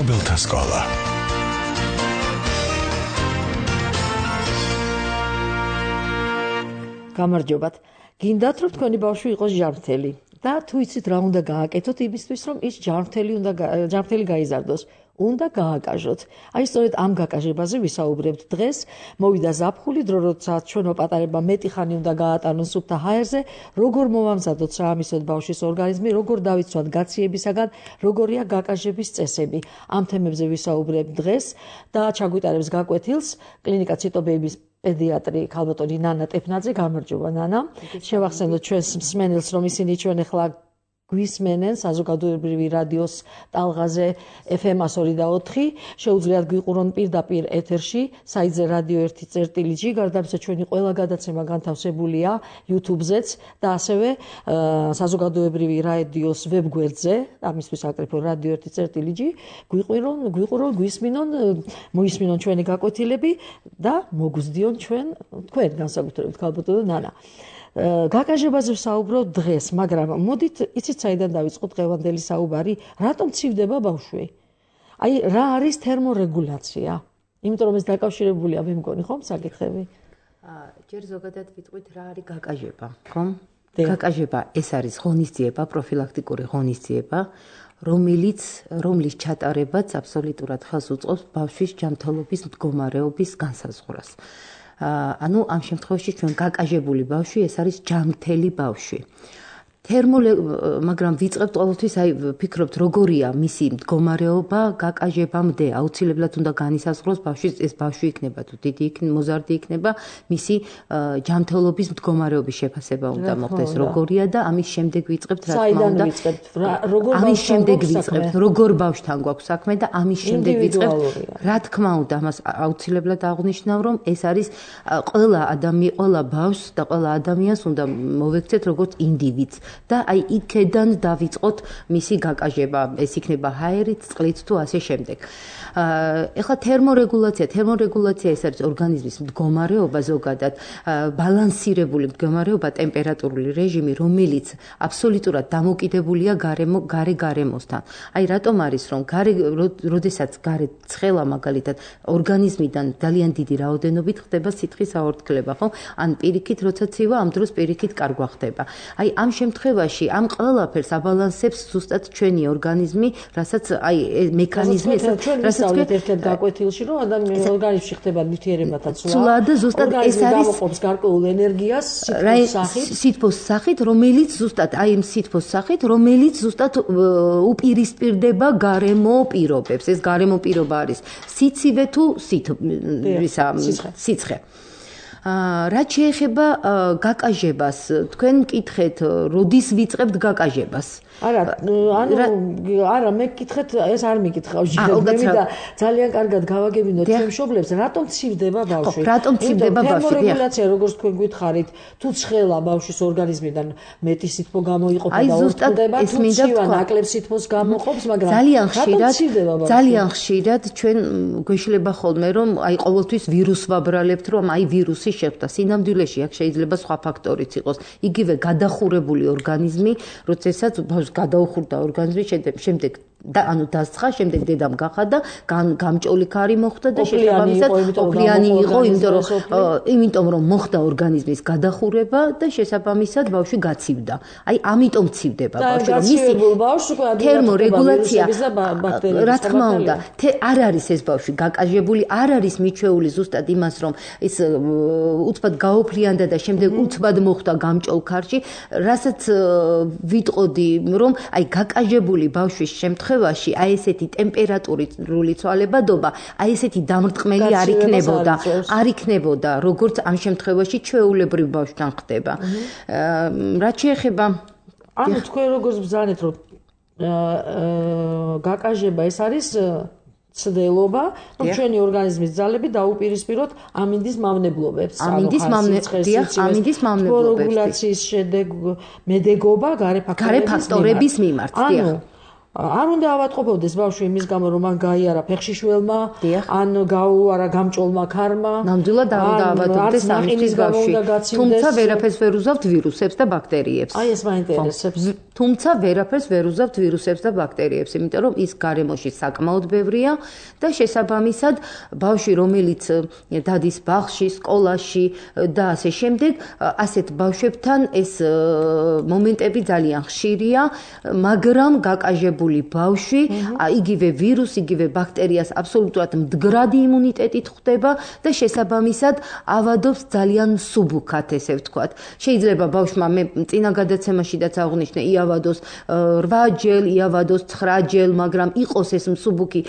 მშობელთა სკოლა. გამარჯობათ. გინდათ რომ თქვენი ბავშვი იყოს ჯანმრთელი და თუ იცით რა უნდა გააკეთოთ იმისთვის რომ ის ჯანმრთელი გაიზარდოს. უნდა გააკაჟოთ. აი სწორედ ამ გაკაჟებაზე ვისაუბრებთ დღეს. მოვიდა ზაფხული, დრო როდესაც ჩვენო პატარებმა მეტი ხანი უნდა გაატარონ სუფთა ჰაერზე, როგორ მოვამზადოთ საამისოდ ბავშვის ორგანიზმი, როგორ დავიცვათ გაციებისაგან, როგორია გაკაჟების წესები. ამ თემებზე ვისაუბრებთ დღეს და ჩაგვიტარებს გაკვეთილს კლინიკა ციტობეიბის პედიატრი ქალბატონი ნანა ტეფნაძე. გამარჯობა ნანა. შევახსენოთ ჩვენს მსმენელს რომ ისინი ჩვენ ახლა გვისმენენ საზოგადოებრივი რადიოს ტალღაზე FM 102.4. შეუძლიათ გვიყურონ პირდაპირ ეთერში საიტზე რადიო 1.წერტილი. გარდა ამისა ჩვენი ყველა გადაცემა განთავსებულია YouTube-ზეც და ასევე საზოგადოებრივი რადიოს ვებგვერდზე, ამისთვის აკრიფონ რადიო 1.წერტილი. გვიყურონ, გვისმინონ, მოისმინონ ჩვენი გაკვეთილები და მოგვზდიონ თქვენ განსაკუთრებით ქალბატონო ნანა. გაკაჟებაზე ვსაუბრობ დღეს, მაგრამ მოდით იცით საიდან დავიწყოთ დღევანდელი საუბარი, რატომ ცივდება ბავშვი? აი რა არის თერმორეგულაცია? იმიტომ რომ ეს დაკავშირებულია, მე მგონი ხომ საკითხები? ჯერ ზოგადად ვიტყვით რა არის გაკაჟება, ხომ? გაკაჟება ეს არის ღონისძიება, პროფილაქტიკური ღონისძიება, რომლის ჩატარებაც აბსოლუტურად ხელს უწყობს ბავშვის ჯანმრთელობის მდგომარეობის განსაზღვრას. ანუ ამ შემთხვევაში ჩვენ გაკაჟებული ბავშვი ეს არის ჯანმრთელი ბავშვი. მაგრამ ვიწყებთ ყოველთვის აი ვფიქრობთ როგორია მისი მდგომარეობა გაკაჟებამდე, აუცილებლად უნდა განისაზღვროს ბავშვის ეს ბავშვი იქნება თუ დიდი მოზარდი იქნება, მისი ჯანმრთელობის მდგომარეობის შეფასება უნდა მოხდეს როგორია და ამის შემდეგ ვიწყებთ რა თქმა უნდა. ამის შემდეგ ვიწყებთ როგორ ბავშვთან გვაქვს საქმე და ამის შემდეგ ვიწყებთ რა თქმა უნდა ამას აუცილებლად აღნიშნავ რომ ეს არის ყველა ბავშვს და ყველა ადამიანს უნდა მოვექცეთ როგორც ინდივიდს. და აი იქედან დავიწყოთ მისი გაკაჟება, ეს იქნება ჰაერით, წყლით თუ ასე შემდეგ. ეხლა თერმორეგულაცია ეს არის ორგანიზმის მდგომარეობა ზოგადად, ბალანსირებული მდგომარეობა, ტემპერატურული რეჟიმი, რომელიც აბსოლუტურად დამოკიდებულია გარემოსთან. აი რატომ არის რომ როდესაც გარე ცხელა მაგალითად ორგანიზმიდან ძალიან დიდი რაოდენობით ხდება სითხის აორთქლება, ხო? ან პირიქით როცა ცივა, ამ დროს პირიქით კარგვა ხდება. აი ამ შემთხვევაში ამ ყველაფერს აბალანსებს ზუსტად ჩვენი ორგანიზმი, რასაც აი მექანიზმი რასაც ერთად გაკვეთილში რომ ადამიანის ორგანიზმში ხდება ნივთიერებათა ცვლა და ზუსტად ეს არის ამოყოფს გარკვეულ ენერგიას სითბოს სახით, რომელიც ზუსტად უპირისპირდება გარემო პირობებს. ეს გარემო პირობა არის სიცივე თუ სიცხე. რაც შეეხება გაკაჟებას, თქვენ მკითხეთ, როდის ვიწყებთ გაკაჟებას? არა, მე მკითხეთ, ეს არ მიკითხავ. და ძალიან კარგად გავაგებინოთ ჩემ მშობლებს, რატომ ცივდება ბავშვი? რატომ ცივდება ბავშვი? თერმორეგულაცია, როგორც თქვენ გითხარით, თუ ცხელა ბავშვის ორგანიზმიდან მეტი სითბო გამოიყოფა და ორთქლდება, თუ ცივა ნაკლებ სითბოს გამოყოფს, მაგრამ ძალიან ხშირად ჩვენ გვეშლება ხოლმე, რომ აი ყოველთვის ვირუსს ვაბრალებთ, რომ აი ვირუსი შეხვდა. სინამდვილეში აქ შეიძლება სხვა ფაქტორიც იყოს. იგივე გადახურებული ორგანიზმი, როდესაც ბავშვს გადაუხურდა ორგანიზმი, შემდეგ ანუ დასცხა, შემდეგ დედამ გახადა, გამჭოლი ქარი მოხდა და შესაბამისად ოფლიანი იყო, იმიტომ რომ მოხდა ორგანიზმის გადახურება და შესაბამისად ბავშვი გაცივდა. აი ამიტომ ცივდება ბავშვი, რომ მისი თერმორეგულაცია, რა თქმა უნდა, არ არის ეს ბავშვი გაკაჟებული, არ არის მიჩვეული ზუსტად იმას, რომ ის უცბად გაოფლიანდა და შემდეგ უცბად მოხდა გამჭოლ ქარში, რასაც ვიტყოდი, რომ აი გაკაჟებული ბავშვის შემთხვევაში აი ესეთი ტემპერატურული ცვალებადობა, აი ესეთი დამრტყმელი არ იქნებოდა, როგორც ამ შემთხვევაში ჩვეულებრივ ბავშვთან ხდება. რაც შეეხება ანუ თქვენ როგორც ბრძანეთ, რომ გაკაჟება ეს არის ცდელობა, რომ ჩვენი ორგანიზმის ძალები დაუპირისპიროთ ამინდის მავნებლობებს. ამინდის მავნებლობებს. რეგულაციის შედეგობა გარე ფაქტორების მიმართ. არ უნდა ავატყოფოდეს ბავშვი იმის გამო რომ მან გაიარა ფეხშიშველმა ან გაუარა გამჭოლმა ქარმა ნამდვილად არ უნდა ავატყოფდეს ამის ბავშვი თუმცა ვერაფერს ვერ უზავთ ვირუსებს და ბაქტერიებს აი ეს მაინტერესებს თუმცა ვერაფერს ვერ უზავთ ვირუსებს და ბაქტერიებს იმიტომ რომ ის გარემოში საკმაოდ ბევრია და შესაბამისად ბავშვი რომელიც დადის ბაღში სკოლაში და ასე შემდეგ ასეთ ბავშვებთან ეს მომენტები ძალიან ხშირია მაგრამ გაკაჟებული ბავშვი იგივე ვირუსი იგივე ბაქტერიას აბსოლუტურად მდგრადი იმუნიტეტით ხვდება და შესაბამისად ავადობს ძალიან მსუბუქად ესე ვთქვათ შეიძლება ბავშვმა მე წინა გადაცემაშიდაც აღვნიშნე იავადოს 8 ჯერ იავადოს 9 ჯერ მაგრამ იყოს ეს მსუბუქი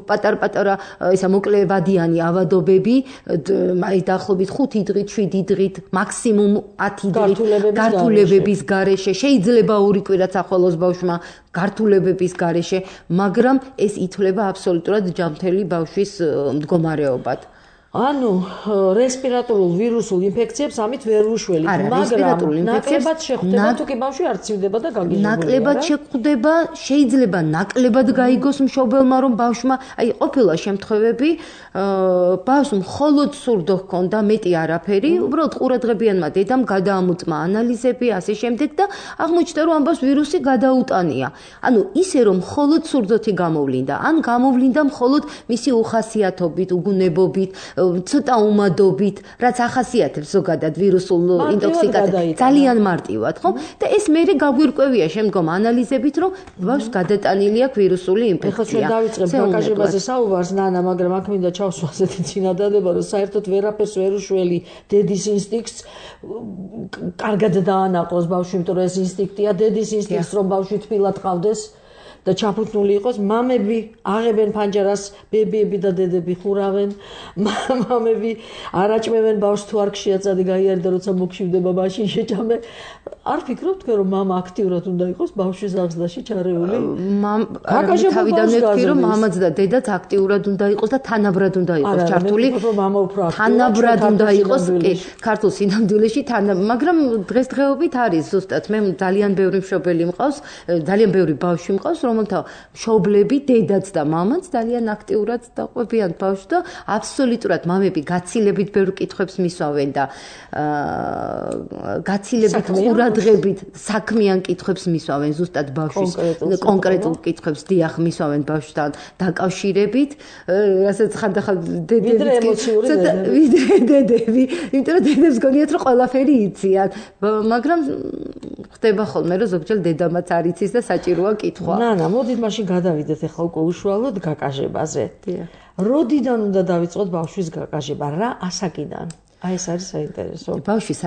პატარ-პატარა ისა მოკლევადიანი ავადობები აი დაახლოებით 5 დღით 7 დღით მაქსიმუმ 10 დღით გართულებების გარეშე შეიძლება 2 კვირაც ახვალოს ბავშვმა გართულებების გარეშე მაგრამ ეს ითვლება აბსოლუტურად ჯანმრთელი ბავშვის მდგომარეობად ანუ რესპირატორულ ვირუსულ ინფექციებს ამით ვერ უშველით, მაგრამ ნაკლებად შეხვდება თუ კი ბავშვი არ ცივდება და გაგიჟებულია. ნაკლებად შეხვდება, შეიძლება ნაკლებად გაიგოს მშობელმა, რომ ბავშვმა, აი ყოფილა შემთხვევები, ბავშვს მხოლოდ სურდო ჰქონდა, მეტი არაფერი, უბრალოდ ყურადღებიანმა დედამ გადაამოწმა ანალიზები, ასე შემდეგ და აღმოჩნდა, რომ ამ ბავშვს ვირუსი გადაუტანია. ანუ ისე რომ მხოლოდ სურდოთი გამოვლინდა, ან გამოვლინდა მხოლოდ მისი უხასიათობით, უგუნებობით ცოტა უმადობით, რაც ახასიათებს ზოგადად ვირუსულ ინტოქსიკაციას, ძალიან მარტივად, ხო? და ეს მერე გაგვირკვევია შემდგომ ანალიზებით, რომ ბავშვს გადატანილი აქვს ვირუსული ინფექცია. ეხლა ჩვენ დავიწყებ გაკაჟებაზე საუბარს, ნანა, მაგრამ აქ მინდა ჩავსვა ასეთი წინადადება, რომ საერთოდ ვერაფერს ვერ უშველი დედის ინსტინქტს, კარგად დაანაყოს ბავშვი, იმიტომ რომ ეს ინსტინქტია, დედის ინსტინქტს, რომ ბავშვი თბილად ყავდეს. და ჩაფუთნული იყოს მამები აღებენ ფანჯარას ბებიები და დედები ხურავენ მამები არაჭმევენ ბავშვს თუ არ ქშიაწადი გაიარდა როცა მოგშივდება მაშინ შეჭამე არ ფიქრობთ რომ მამა აქტიურად უნდა იყოს ბავშვის აღზრდაში ჩარეული თავიდანვე ვთქვი რომ მამაც და დედაც აქტიურად უნდა იყოს და თანაბრად უნდა იყოს ჩართული თანაბრად უნდა იყოს ქართულ სინამდვილეში მაგრამ დღესდღეობით არის ზუსტად მე ძალიან ბევრი მშობელი მყავს ძალიან ბევრი ბავშვი მყავს რომელთა მშობლები, დედაც და მამაც ძალიან აქტიურად დაყვებიან ბავშვს და აბსოლუტურად მამები გაცილებით ბევრ კითხვებს მისვავენ და გაცილებით ყურადღებით საქმიან კითხვებს მისვავენ ზუსტად ბავშვის კონკრეტულ კითხვებს დიახ მისვავენ ბავშვთან დაკავშირებით, რასაც ხანდახან დედები, იმიტომ რომ დედებს გონიათ რომ ყველაფერი იციან, მაგრამ ხდება ხოლმე რომ ზოგჯერ დედამაც არ იცის და საჭიროა კითხვა. ნანა, მოდით მაშინ გადავიდეთ ახლა უკვე უშუალოდ გაკაჟებაზე. როდიდან უნდა დავიწყოთ ბავშვის გაკაჟება? რა ასაკიდან? აი ეს არის საინტერესო. ბავშვის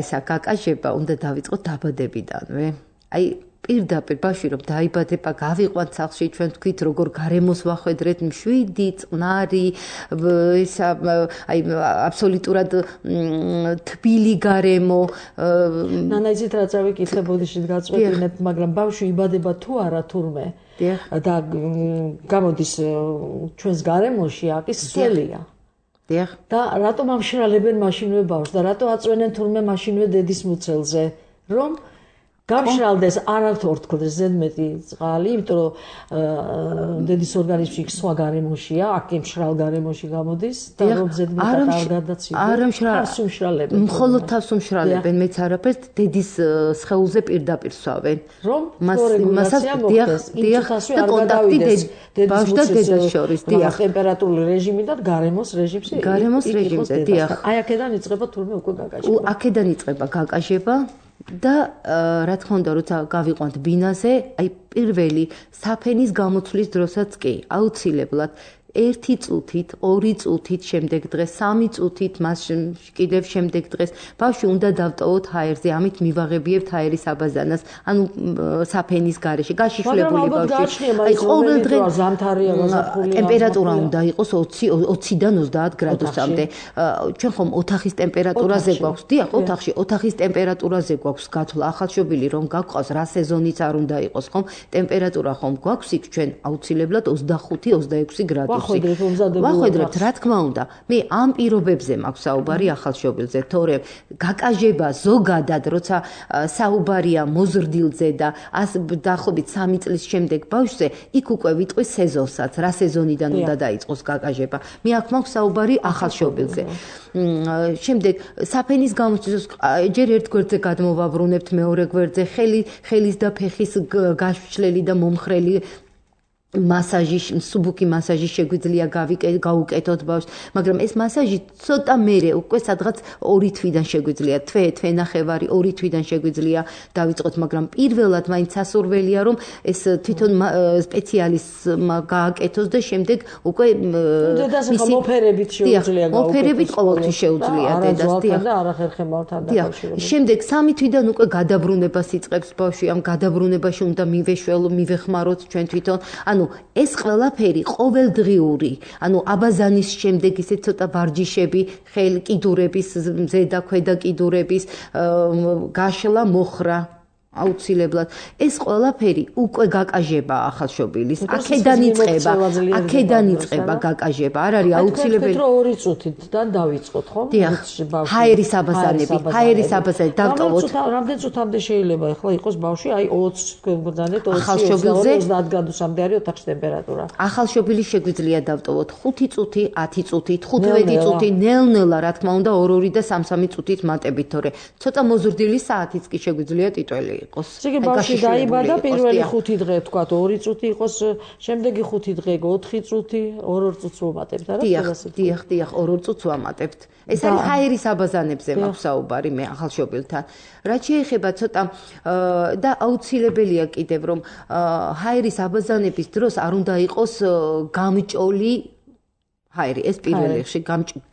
ესა გაკაჟება უნდა დავიწყოთ დაბადებიდანვე. აი პირდაპირ ბავშვი რომ დაიბადება, გავიყვანთ სახლში, ჩვენ თქვით როგორ გარემოს ვახვედრეთ, მშვიდი, წყნარი, ესა აი აბსოლუტურად თბილი გარემო. ნანა, იცით რა წავიკითხე ბოდიშით გაწყვეტინებ, მაგრამ ბავშვი იბადება თუ არა თურმე და გამოდის ჩვენს გარემოში, აკის სველია. და რატომ ამშრალებენ მაშინვე ბავშვს და რატო აწვენენ თურმე მაშინვე დედის მუცელზე, რომ გამშრალდეს არ აქვს ორთქლდეს ზედმეტი წყალი, იმიტომ რომ დედის ორგანიზმში სხვა გარემოშია, აქ მშრალ გარემოში გამოდის და რომ ზედმეტად არ გადაცივდეს. არ მშრალებენ. მხოლოდ თავს უმშრალებენ, მეც არაფერს დედის სხეულზე პირდაპირ სვავენ. რომ მასაც დიახ და კონტაქტი ბავშვს და დედას შორის, დიახ. ტემპერატურული რეჟიმი და გარემოს რეჟიმში. გარემოს რეჟიმზე, დიახ. აი აქედან იწყება თურმე უკვე გაკაჟება. აქედან იწყება გაკაჟება. და რა თქმა უნდა, როცა გავიყვანთ ბინაზე, აი პირველი საფენის გამოცვლის დროსაც კი, აუცილებლად 1 წუთით, 2 წუთით შემდეგ დღეს, 3 წუთით, მას კიდევ შემდეგ დღეს ბავშვი უნდა დავტოვოთ ჰაერზე, ამით მივაღებიებთ ჰაერის აბაზანას, ანუ საფენის გარეშე, გაშიშვლებული ბავშვი. აი ყოველდღე ზამთარია, გაზაფხულია. ტემპერატურა უნდა იყოს 20-დან 30 გრადუსამდე. ჩვენ ხომ ოთახის ტემპერატურაზე გვაქვს, დიახ, ოთახის ტემპერატურაზე გვაქვს გათვლა, ახალშობილი რომ გაგყავს, რა სეზონიც არ უნდა იყოს, ხომ? ტემპერატურა ხომ გვაქვს იქ ჩვენ აუცილებლად 25-26 გრადუსი. ვახვედრებთ, რა თქმა უნდა. მე ამ პირობებზე მაქვს საუბარი ახალშობილზე, თორემ გაკაჟება ზოგადად, როცა საუბარია მოზრდილზე და დაახლოებით 3 წლის შემდეგ ბავშვზე, იქ უკვე ვიტყვის სეზონსაც, რა სეზონიდან უნდა დაიწყოს გაკაჟება. მე აქ მაქვს საუბარი ახალშობილზე. შემდეგ საფენის გამოცდის ჯერ ერთ გვერდზე გადმოვაბრუნებთ, მეორე გვერდზე ხელის და ფეხის გაშლელი და მომხრელი მასაჟი, სუბუქი მასაჟი შეგვიძლია გაუკეთოთ ბავშვს, მაგრამ ეს მასაჟი ცოტა მერე უკვე სადღაც 2 თვიდან შეგვიძლია, თვე-ნახევარი 2 თვიდან შეგვიძლია დავიწყოთ, მაგრამ პირველად მაინც სასურველია რომ ეს თვითონ სპეციალისტმა გააკეთოს და შემდეგ უკვე მისი მოფერებით შეუძლია გაუკეთოს. მოფერებით ყოველთვის შეუძლია დედას და არახერ ხემალთან დაკავშირებით. შემდეგ 3 თვიდან უკვე გადაბრუნებას იწყებს ბავშვი, ამ გადაბრუნებაში უნდა მივეხმაროთ ჩვენ თვითონ. ანუ ეს ყველაფერი ყოველდღიური, ანუ აბაზანის შემდეგ ისე ცოტა ვარჯიშები, კიდურების, ზედა ქვედა კიდურების გაშლა, მოხრა აუცილებლად. ეს ყველაფერი უკვე გაკაჟება ახალშობილის. აქედან იწყება გაკაჟება. არ არის აუცილებელი. თქვენ 2 წუთიდან დავიწყოთ, ხო? ჰაერის აბაზანები დავტოვოთ. რამდენ წუთამდე შეიძლება ახლა იყოს ბავშვი, აი 20 თქვენ გძანეთ 30 გრადუსამდე არის ოთახის ტემპერატურა. ახალშობილის შეგვიძლია დავტოვოთ 5 წუთი, 10 წუთით, 15 წუთი, ნელ-ნელა, რა თქმა უნდა, 2 და 3 წუთით მატებით, თორე ცოტა მოზრდილი საათიც კი შეგვიძლია ტიტველი იყოს. ისე ბავშვი დაიბადა პირველი 5 დღე, თქვათ 2 წუთი იყოს, შემდეგი 5 დღე 4 წუთი, 2 წუთს ვამატებთ, არა? დიახ, 2 წუთს ვამატებთ. ეს არის ჰაერის აბაზანებზე მაქვს საუბარი მე ახალშობილთან. რაც შეეხება ცოტა და აუცილებელია კიდევ რომ ჰაერის აბაზანების დროს არ უნდა იყოს გამჭოლი ჰაერი, ეს პირველ რიგში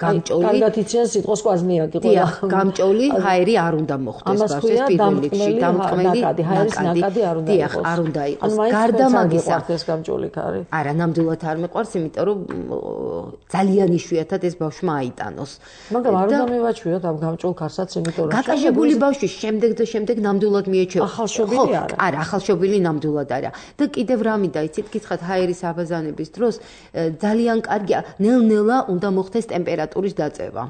გამჭოლი. კარგად იციან სიტყვა სკვაზნიაკი ყველა. დიახ, გამჭოლი ჰაერი არ უნდა მოხდეს ბავშვის პირველ რიგში. დამტკმელი ჰაერის ნაკადი არ უნდა იყოს. არ უნდა იყოს. გარდა მაგისა, ეს გამჭოლი ხარი. არა, ნამდვილად არ მეყვარს, იმიტომ რომ ძალიან იშვიათად ეს ბავშვმა აიტანოს. მაგრამ არ უნდა მევაჩვიოთ ამ გამჭოლ ქარსაც, იმიტომ რომ გაკაჟებული ბავშვი შემდეგ ნამდვილად მიეჩება. ახალშობილი არა. არა, ახალშობილი ნამდვილად არა. და კიდევ რამე დაიცით, გითხრათ ჰაერის აბაზანების დროს ძალიან კარგია ნელ-ნელა უნდა მოხდეს ტემპერატურის დაწევა.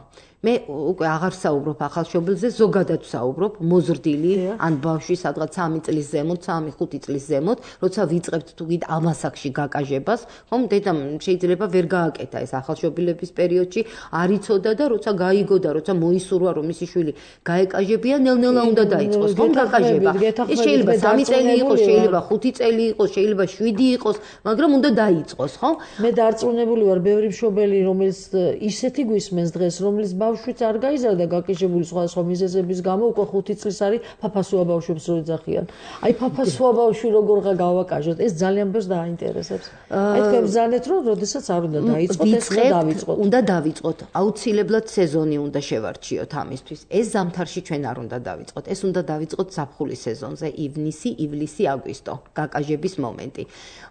მე უკვე აღარ საუბრობ ახალშობილზე, ზოგადად საუბრობ მოზრდილი, ან ბავშვი სადღაც 3 წლის ზემოთ, 3-5 წლის ზემოთ, როცა ვიწყებთ თუ გით ამ ასაკში გაკაჟებას, ხომ დედამ შეიძლება ვერ გააკეთა ეს ახალშობილების პერიოდში, არ იცოდა და როცა გაიგო და როცა მოისურვა რომ მისი შვილი გაეკაჟებია, ნელ-ნელა უნდა დაიწყოს, ხომ გაკაჟება. ეს შეიძლება 3 წელი იყოს, შეიძლება 5 წელი იყოს, შეიძლება 7 იყოს, მაგრამ უნდა დაიწყოს, ხო? მე დარწმუნებული ვარ, ბევრი მშობელი, რომელიც ისეთი გვისმენს დღეს, რომლის ბავშვიც არ გაიზარდა გაკიჟებული სხვადასხვა მიზეზების გამო, უკვე 5 წლის არის ფაფასუა ბავშვებს რო ეძახიან. აი ფაფასუა ბავშვი როგორღა გავაკაჟოთ, ეს ძალიან ბევრს დაინტერესებს. აი თქვენ ბრძანეთ რომ როდესაც არ უნდა დაიწყოთ, ეს დავიწყოთ. უნდა დავიწყოთ. აუცილებლად სეზონი უნდა შევარჩიოთ ამისთვის. ეს ზამთარში ჩვენ არ უნდა დავიწყოთ. ეს უნდა დავიწყოთ ზაფხულის სეზონზე, ივნისი, ივლისი, აგვისტო, გაკაჟების მომენტი.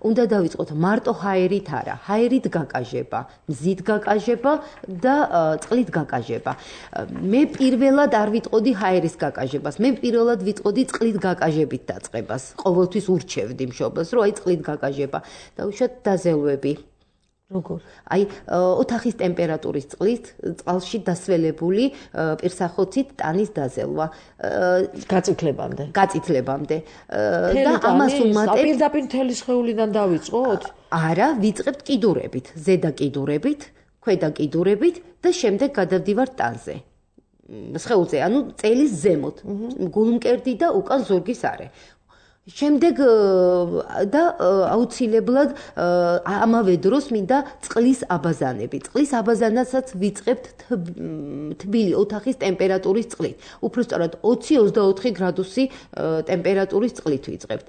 უნდა დავიწყოთ მარტო ჰაერით არა, ჰაერით გაკაჟება, მზით გაკაჟება და წყლით გაკაჟება. მე პირველად არ ვიტყოდი ჰაერის გაკაჟებას. მე პირველად ვიტყოდი წყლით გაკაჟებით დაწყებას. ყოველთვის ურჩევდი მშობელს, რომ აი წყლით გაკაჟება. დაუშვათ დაზელვები. როგორ? აი ოთახის ტემპერატურის წყალში დასველებული პირსახოცით ტანის დაზელვა. გაწითლებამდე. და ამას უმატებთ. პირდაპირ მთელი სხეულიდან დავიწყოთ? არა, ვიწყებთ კიდურებით, ზედა კიდურებით. ქვედა კიდურებით და შემდეგ გადავდივართ ტანზე. სხეულზე, ანუ წელის ზემოთ. გულმკერდი და უკან ზურგის არე. შემდეგ და აუცილებლად ამავე დროს მინდა წყლის აბაზანები. წყლის აბაზანასაც ვიწყებთ თბილი ოთახის ტემპერატურის წყლით. უბრალოდ 20-24 გრადუსი ტემპერატურის წყლით ვიწყებთ.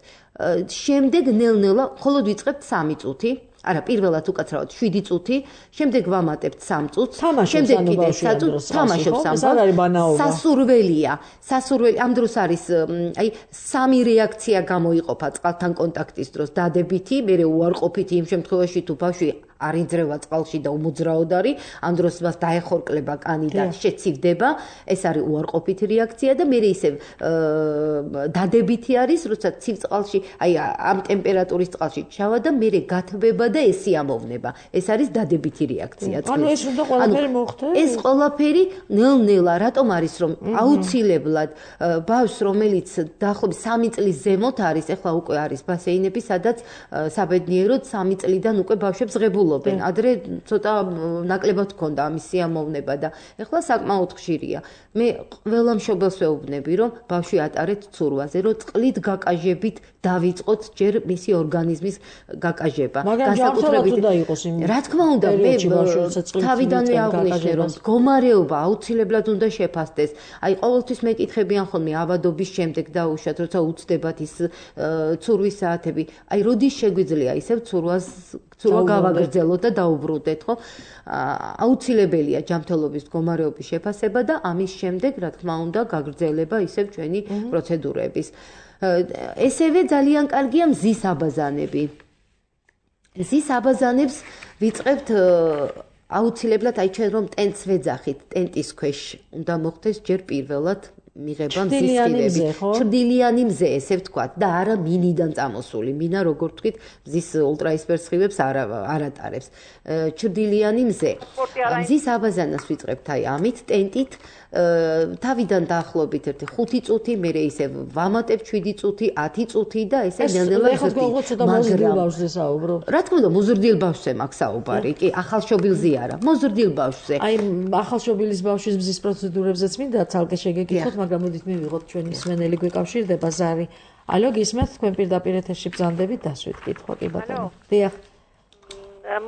შემდეგ ნელ-ნელა მხოლოდ ვიწყებთ 3 წუთი. არა, პირველად უკაცრავად 7 წუთი, შემდეგ ვამატებთ 3 წუთს, შემდეგ კიდევ 3 წუთს, თამაშობს ამბავს. სასურველი, ამ დროს არის, აი, 3 რეაქცია გამოიყოფა წყალთან კონტაქტის დროს, დადებითი, მერე უარყოფითი იმ შემთხვევაში თუ ბავშვი არ იძრევა წყალში და უმოძრაოდ არის, ამ დროს მას დაეხორკლება კანი და შეცივდება, ეს არის უარყოფითი რეაქცია და მე ისევ დადებითი არის, როცა ცივ წყალში, აი ამ ტემპერატურის წყალში ჩავა და მე გათბება და ეს სიამოვნება. ეს არის დადებითი რეაქცია. ანუ ეს უნდა ყველაფერი მოხდეს? ეს ყველაფერი ნელ-ნელა, რატომ არის რომ აუცილებლად ბავშვს, რომელიც დაახლოებით 3 წლის ზემოთ არის, ეხლა უკვე არის ბასეინები, სადაც საბედნიეროდ 3 წლიდან უკვე ბავშვებს ღებულობენ. ადრე ცოტა ნაკლებად ჰქონდა ამის სიამოვნება და ეხლა საკმაოდ ხშირია. მე ყველა მშობელს ვეუბნები, რომ ბავშვი ატარეთ ცურვაზე, რომ წყლით გაკაჟებით დავიწყოთ ჯერ მისი ორგანიზმის გაკაჟება. განსაკუთრებით უნდა იყოს იმ. რა თქმა უნდა, მე თავიდანვე აღვნიშნე, რომ მდგომარეობა აუცილებლად უნდა შეფასდეს. აი ყოველთვის მეკითხებიან ხოლმე ავადობის შემდეგ დაუშვათ, როცა უცდებათ ის ცურვის საათები. აი როდის შეგვიძლია ისევ ცურვა გავაგრძელოთ და დაუბრუნდეთ, ხო? აუცილებელია ჯანმრთელობის მდგომარეობის შეფასება და ამის შემდეგ, რა თქმა უნდა, გაგრძელება ისევ ჩვენი პროცედურების. ესევე ძალიან კარგია მზის აბაზანები. მზის აბაზანებს ვიწყებთ აუცილებლად, აი ჩვენ რომ ტენტს ვეძახით, ტენტის ქვეშ უნდა მოხდეს ჯერ პირველად მიღება მზის სხივები. ჩრდილიანი მზე, ესე ვთქვათ, და არა მინიდან წამოსული. მინა, როგორ ვთქვით, მზის ულტრაისფერ სხივებს არ ატარებს. ჩრდილიანი მზე. მზის აბაზანას ვიწყებთ აი ამით ტენტით. თავიდან დაახლოებით 5 წუთი, მერე ისე ვამატებ 7 წუთი, 10 წუთი და ესე ნელ-ნელა ვიზრდით. რა თქმა უნდა, მოზრდილ ბავშვზე მაქვს საუბარი, კი, ახალშობილზე არა, მოზრდილ ბავშვზე. აი, ახალშობილის ბავშვის მზის პროცედურებზეც მინდა ცალკე შეგეკითხოთ, მაგრამ მოდით მივიღოთ ჩვენი მსმენელი გვეკავშირდება ზარი. ალო, გისმენთ, თქვენ პირდაპირ ეთერში ბრძანდებით დასვით კითხვა, კი ბატონო. დიახ.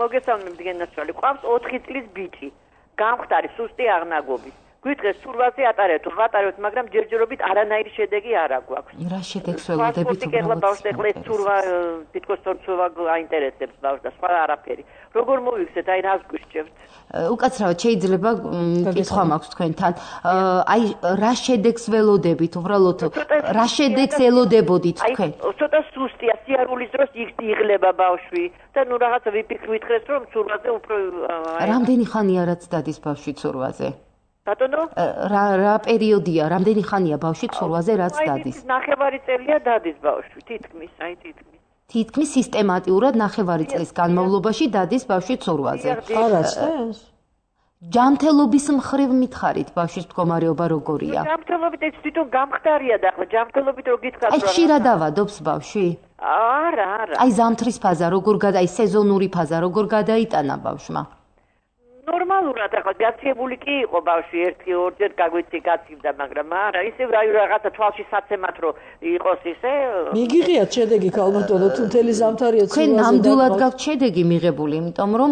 მოგესალმებით გენაცვალი. ყავს 4 წლის ბიჭი. გამხდარი სუსტი აღნაგობის. გვიტყეს ცურვაზე ატარებთ, ვატარებთ, მაგრამ ჯერჯერობით არანაირი შედეგი არ აქვს. რა შედეგს ველოდებით უბრალოდ? ბავშვს ეხლა ცურვა, თითქოს ცურვა აინტერესებს ბავშვს და სხვა არაფერი. როგორ მოვიქცეთ, აი რას გვისჭებთ? უკაცრავად შეიძლება კითხვა მაქვს თქვენთან. აი რა შედეგს ველოდებით, უბრალოდ რა შედეგს ელოდებოდით თქვენ? აი ცოტა სუსტია, სიარულის დროს იღლება ბავშვი და ნუ რაღაცა ვიფიქრეთ, რომ ცურვაზე უფრო რამდენი ხანია რაც დადის ბავშვი ცურვაზე? ბატონო? რა პერიოდია, რამდენი ხანია ბავშვი ცურვაზე რაც დადის? ნახევარი წელია დადის ბავშვი, თითქმის. თითქმის სისტემატიურად ნახევარი წლის განმავლობაში დადის ბავშვი ცურვაზე. არასდროს? ჯანმრთელობის მხრივ მითხარით ბავშვის მდგომარეობა როგორია? ჯანმრთელობით ეს თვითონ გამხდარია და ახლა ჯანმრთელობით რო გითხრათ აი ხშირად ავადობს ბავშვი? არა. აი ზამთრის ფაზა როგორ აი სეზონური ფაზა როგორ გადაიტანა ბავშვმა? ნორმალურად ახლა გაცილებული კი იყო ბავშვი 1-2 გაგვიცი გაცივდა, მაგრამ არა, ისე რაღაცა თვალში საცემად რო იყოს ისე. მიგიღიათ შედეგი ქალბატონო, თუ მთელი ზამთარია ცურვაზე. თქვენ ნამდვილად გაქვთ შედეგი მიღებული, იმიტომ რომ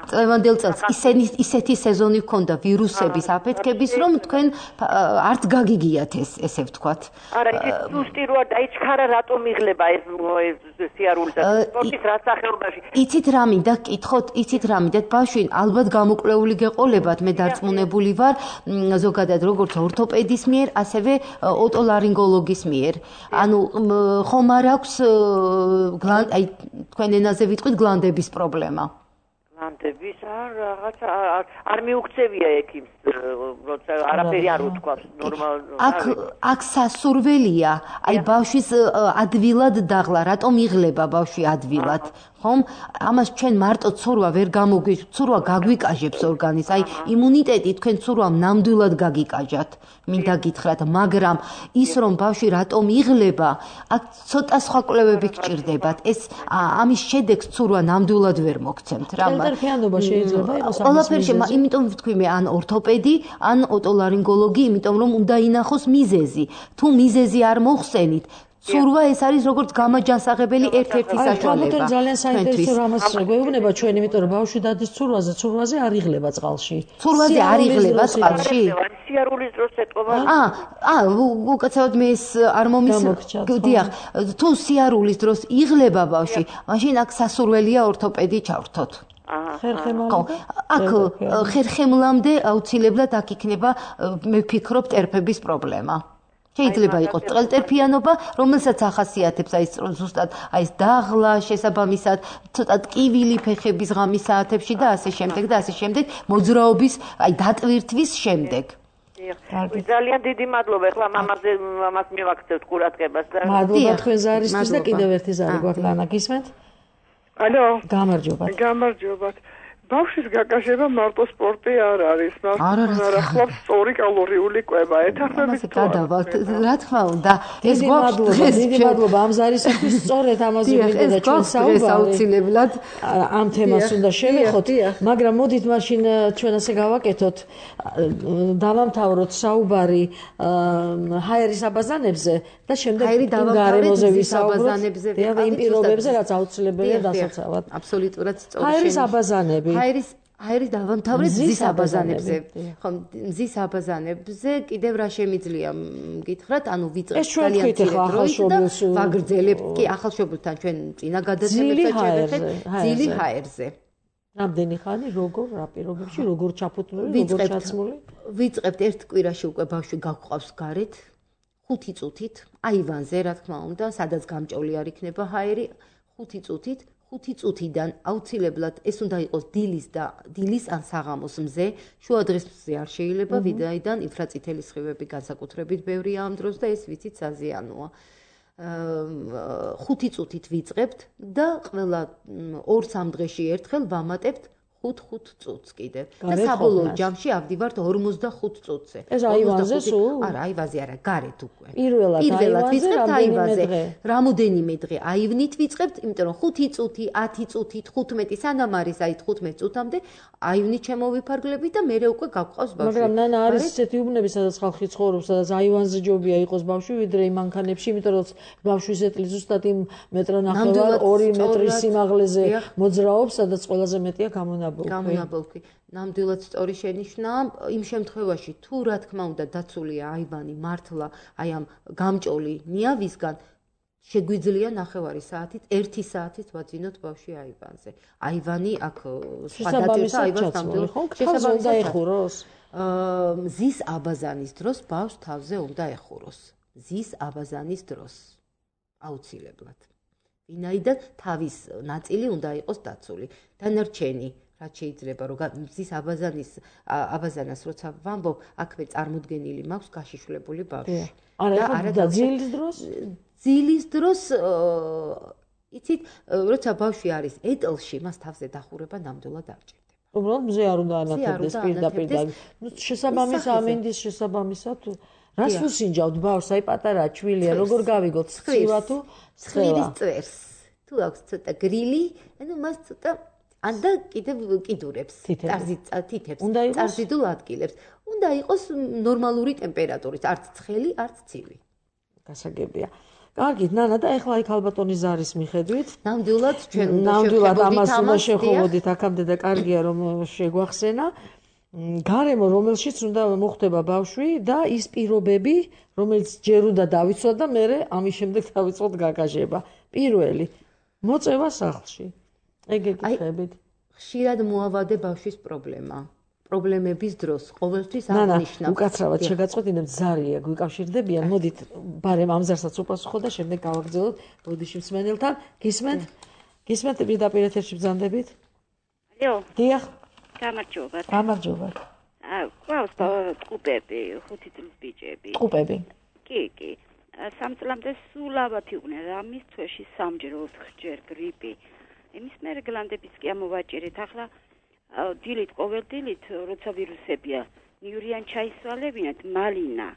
წლევანდელ წელს ისეთი სეზონი ჰქონდა ვირუსების აფეთქების, რომ თქვენ არც გაგიგიათ ესე ვთქვათ. არა, ისე სუსტი როა დაიჩქარა, რატომ იღლება ეს სიარული და სპორტის რა სახეობაში. იცით რა მინდა გკითხოთ, იცით რა მინდა ბავშვი ალბათ გამოკვლეული გეყოლებათ, მე დარწმუნებული ვარ, ზოგადად როგორც ორთოპედის მიერ, ასევე ოტოლარინგოლოგის მიერ. ანუ ხომ არ აქვს აი თქვენ ენაზე ვიტყვით გლანდების პრობლემა? გლანდების რაღაცა არ მიუქცევია ექიმს, როცა არაფერი არ უთქვას ნორმალურად. აქ სასურველია, აი ბავშვის ადვილად დაღლა, რატომ იღლება ბავშვი ადვილად? ხომ? ამას ჩვენ მარტო ცურვა ვერ ცურვა გაგვიკაჟებს ორგანიზმს. აი იმუნიტეტი თქვენ ცურვამ ნამდვილად გაგიკაჟათ. მინდა გითხრათ, მაგრამ ის რომ ბავშვი რატომ იღლება, აქ ცოტა სხვა კვლევები გჭირდებათ. ეს ამის შედეგს ცურვა ნამდვილად ვერ მოგცემთ რა. კენტერფიანობა შეიძლება იყოს ამის ყველაფერში, იმიტომ ვთქვი მე ან ორთოპედი, ან ოტოლარინგოლოგი, იმიტომ რომ უნდა ინახოს მიზეზი. თუ მიზეზი არ მოხსენით, ცურვა ეს არის როგორც გამაჯანსაღებელი ერთ-ერთი საშუალება. აი, ძალიან საინტერესო რამაც შეგვეუბნება ჩვენ, იმიტომ რომ ბავშვი დადის ცურვაზე არ იღლება წყალში. ცურვაზე არ იღლება წყალში? სიარულის დროს ეტყობა. უკაცრავად მე ეს არ დიახ, თუ სიარულის დროს იღლება ბავშვი, მაშინ აქ სასურველია ორთოპედი ჩავრთოთ. აქ ხერხემლამდე აუცილებლად აქ იქნება, მე ვფიქრობ, ტერფების პრობლემა. შეიძლება იყოს ტყელტერფიანობა, რომელსაც ახასიათებს აი ზუსტად აი ეს დაღლა შესაბამისად, ცოტა ტკივილი ფეხების ღამის საათებში და ასე შემდეგ და ასე შემდეგ, მოძრაობის აი დატვირთვის შემდეგ. ძალიან დიდი მადლობა. ეხლა მამას მივაქცევთ ყურადღებას და მადლობა თქვენ ზარისთვის და კიდევ ერთი ზარი გვაქვს ანა გისმენთ? ალო, გამარჯობათ. გამარჯობათ. ბავშვის გაკაშება მარტო სპორტი არ არის. მაგრამ ახლავს სწორი კალორიული კვება. ეთანხმებით თუ გადავალთ, რა თქმა უნდა. ეს გვაქვს დიდი მადლობა ამ ზარისთვის სწორედ ამაზე მინდა და ჩვენ საუბარად ამ თემას უნდა შევეხოთ, მაგრამ მოდით მაშინ ჩვენ ასე გავაკეთოთ, დავამთავროთ საუბარი ჰაერის აბაზანებზე და შემდეგ გარემოზე ვისაუბროთ იმ პირობებზე, რაც აუცილებელია დასაცავად. აბსოლუტურად სწორი. ჰაერის აბაზანები ჰაერის დავამთავრეთ მზის აბაზანებზე. ხო, მზის აბაზანებზე კიდევ რა შემიძლია გითხრათ, ანუ ვიწყებთ ძალიან ცირე დროით და ვაგრძელებთ კი ახალშობილთან ჩვენ წინა გადაცემებსაც შევეხეთ ძილი ჰაერზე. რამდენი ხანი, როგორ, რა პირობებში, როგორ ჩაფუთმული, როგორ ჩაცმული? ვიწყებთ ერთ კვირაში უკვე ბავშვი გაგვყავს გარეთ 5 წუთით, აივანზე, რა თქმა უნდა, სადაც გამჭოლი არ იქნება ჰაერი, 5 წუთით 5 წუთიდან აუცილებლად ეს უნდა იყოს დილის ან საღამოს მზე, შუადღის მზე არ შეიძლება, ვინაიდან ინფრაწითელი სხივები განსაკუთრებით ბევრია ამ დროს და ეს ვიცით საზიანოა. 5 წუთით ვიწყებთ და ყველა 2-3 დღეში ერთხელ ვამატებთ 5 წუთს კიდევ. და საბოლოო ჯამში ავდივართ 45 წუთზე. ეს აივანზე სულ? არა, აივანზე არა, გარეთ უკვე. პირველად ვიწყებთ აივანზე. რამოდენიმე დღე აივნით ვიწყებთ, იმიტომ რომ 5 წუთი, 10 წუთით, 15 სანამ არის აი 15 წუთამდე აივნით შემოვიფარგლებით და მერე უკვე გაგვყავს ბავშვი. მაგრამ ნანა არის ისეთი უბნები, სადაც ხალხი ცხოვრობს, სადაც აივანზე ჯობია იყოს ბავშვი, ვიდრე იმ მანქანებში, იმიტომ რომ ბავშვი ისეთი ზუსტად იმ მეტრ-ნახევარ 2 მეტრის სიმაღლეზე მოძრაობს, სადაც ყველაზე მეტია გამონაბოლქვი. ნამდვილად სწორი შენიშვნაა. იმ შემთხვევაში თუ რა თქმა უნდა დაცულია აივანი მართლა აი ამ გამჭოლი ნიავისგან შეგვიძლია 9 საათით, 1 საათით ვაძინოთ ბავშვი აივანზე. აივანი აქ სხვა დაწესა აივანს ნამდვილად შესაბამისად ეხუროს. მზის აბაზანის დროს ბავშვს თავზე უნდა ეხუროს. მზის აბაზანის დროს აუცილებლად. ვინაიდან თავის ნაწილი უნდა იყოს დაცული. დანარჩენი რაც შეიძლება რომ მზის აბაზანას როცა ვამბობ, აქვე წარმოდგენილი მაქვს გაშიშვლებული ბავშვი. არა და ძილის დროს? ძილის დროს იცით, როცა ბავშვი არის ეტლში, მას თავზე დახურება ნამდვილად არ ჭირდება. უბრალოდ მზე არ უნდა ანათებდეს პირდაპირ და შესაბამის ამინდის შესაბამისად რას უსინჯავთ ბავშვს, აი პატარა ჩვილია, როგორ გავიგოთ, სხივა თუ სხივის წვერს. თუ აქვს ცოტა გრილი, ანუ მას ცოტა ანდა კიდევ კიდურებს, წარზიდულ ადგილებს. უნდა იყოს ნორმალური ტემპერატურით, არც ცხელი, არც ცივი. გასაგებია. კარგით, ნანა და ეხლა იქ ალბათონის ზარის მიხედვით, ნამდვილად ჩვენ ამას უნდა შევხვდით აქამდე და კარგია რომ შეგვახსენა. გარემო, რომელშიც უნდა მოხდება ბავშვი და ის პირობები, რომელიც ჯერ უნდა დავიცვათ და მერე ამის შემდეგ დავიწყოთ გაკაშება. პირველი, მოწევა სახლში. ეგ ეკითხებით. ხშირად მოავადე ბავშვის პრობლემების დროს ყოველთვის აღნიშნავ. უკაცრავად შეგაწყვეტინებთ ზარია გვიკავშირდებიან. მოდით ბარემ ამ ზარსაც უპასუხო და შემდეგ გავაგრძელოთ ბოდიში მსმენელთან. გისმენთ პირდაპირ ეთერში ბრძანდებით? ალო. დიახ. გამარჯობათ. გამარჯობათ. ყავს ტყუპები, 5 წლის ბიჭები. ტყუპები. კი. 3 წლამდე სულ ავად იყვნენ, რამის თვეში 3-ჯერ 4-ჯერ გრიპი. იმის მერე გლანდების კი ამოვაჭერეთ. ახლა დილით, ყოველ დილით, როცა ვირუსებია, ნიურიან ჩაისვალებინათ, მალინა,